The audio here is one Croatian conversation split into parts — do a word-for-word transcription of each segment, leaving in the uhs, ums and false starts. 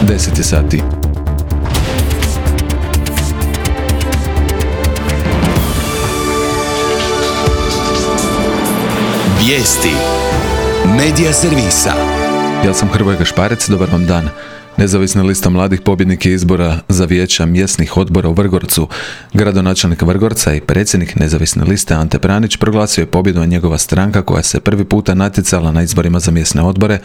deset je sati. Vijesti Medija servisa. Ja sam Hrvoje Gašparec, dobar vam dan. Nezavisna lista mladih pobjednik je izbora za vijeća mjesnih odbora u Vrgorcu. Gradonačelnik Vrgorca i predsjednik nezavisne liste Ante Pranić proglasio je pobjedu, a njegova stranka, koja se prvi puta natjecala na izborima za mjesne odbore,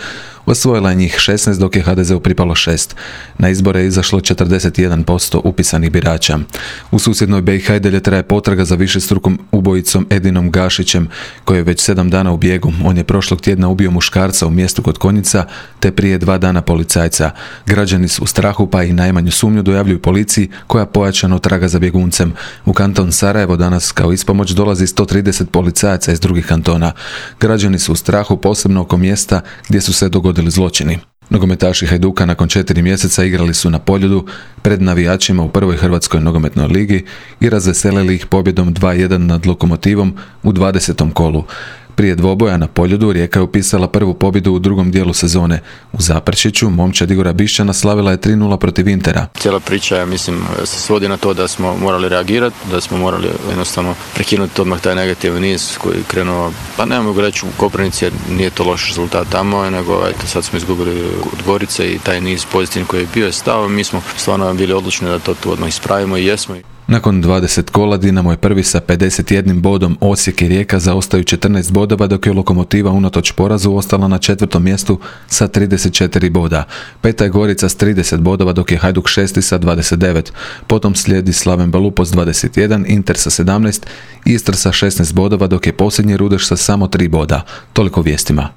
osvojila je njih šesnaest, dok je ha de zeu pripalo šest. Na izbore je izašlo četrdeset jedan posto upisanih birača. U susjednoj be i ha i dalje traje potraga za višestrukom ubojicom Edinom Gašićem, koji je već sedam dana u bijegu. On je prošlog tjedna ubio muškarca u mjestu kod Konjica, te prije dva dana policajca. Građani su u strahu, pa i najmanju sumnju dojavljuju policiji, koja pojačano traga za bjeguncem. U kanton Sarajevo danas kao ispomoć dolazi sto trideset policajaca iz drugih kantona. Građani su u strahu, posebno oko mjesta gdje su se dogodili zločini. Nogometaši Hajduka nakon četiri mjeseca igrali su na Poljudu pred navijačima u prvoj hrvatskoj nogometnoj ligi i razveselili ih pobjedom dva jedan nad Lokomotivom u dvadesetom kolu. Prije dvoboja na Poljudu Rijeka je upisala prvu pobjedu u drugom dijelu sezone. U Zaprešiću momčad Igora Bišćana slavila je tri nula protiv Intera. Cijela priča, ja mislim, se svodi na to da smo morali reagirati, da smo morali jednostavno prekinuti odmah taj negativni niz koji je krenuo, pa ne mogu reći u Koprivnici jer nije to loš rezultat tamo, nego eto, sad smo izgubili od Gorice i taj niz pozitivni koji je bio je stao. Mi smo stvarno bili odlučni da to tu odmah ispravimo i jesmo. Nakon dvadeset kola Dinamo je prvi sa pedeset jednim bodom, Osijek i Rijeka zaostaju četrnaest bodova, dok je Lokomotiva unatoč porazu ostala na četvrtom mjestu sa trideset četiri boda. Peta je Gorica s trideset bodova, dok je Hajduk šesti sa dvadeset devet. Potom slijedi Slaven Belupo s dvadeset jedan, Inter sa sedamnaest, Istra sa šesnaest bodova, dok je posljednji Rudeš sa samo tri boda. Toliko vijestima.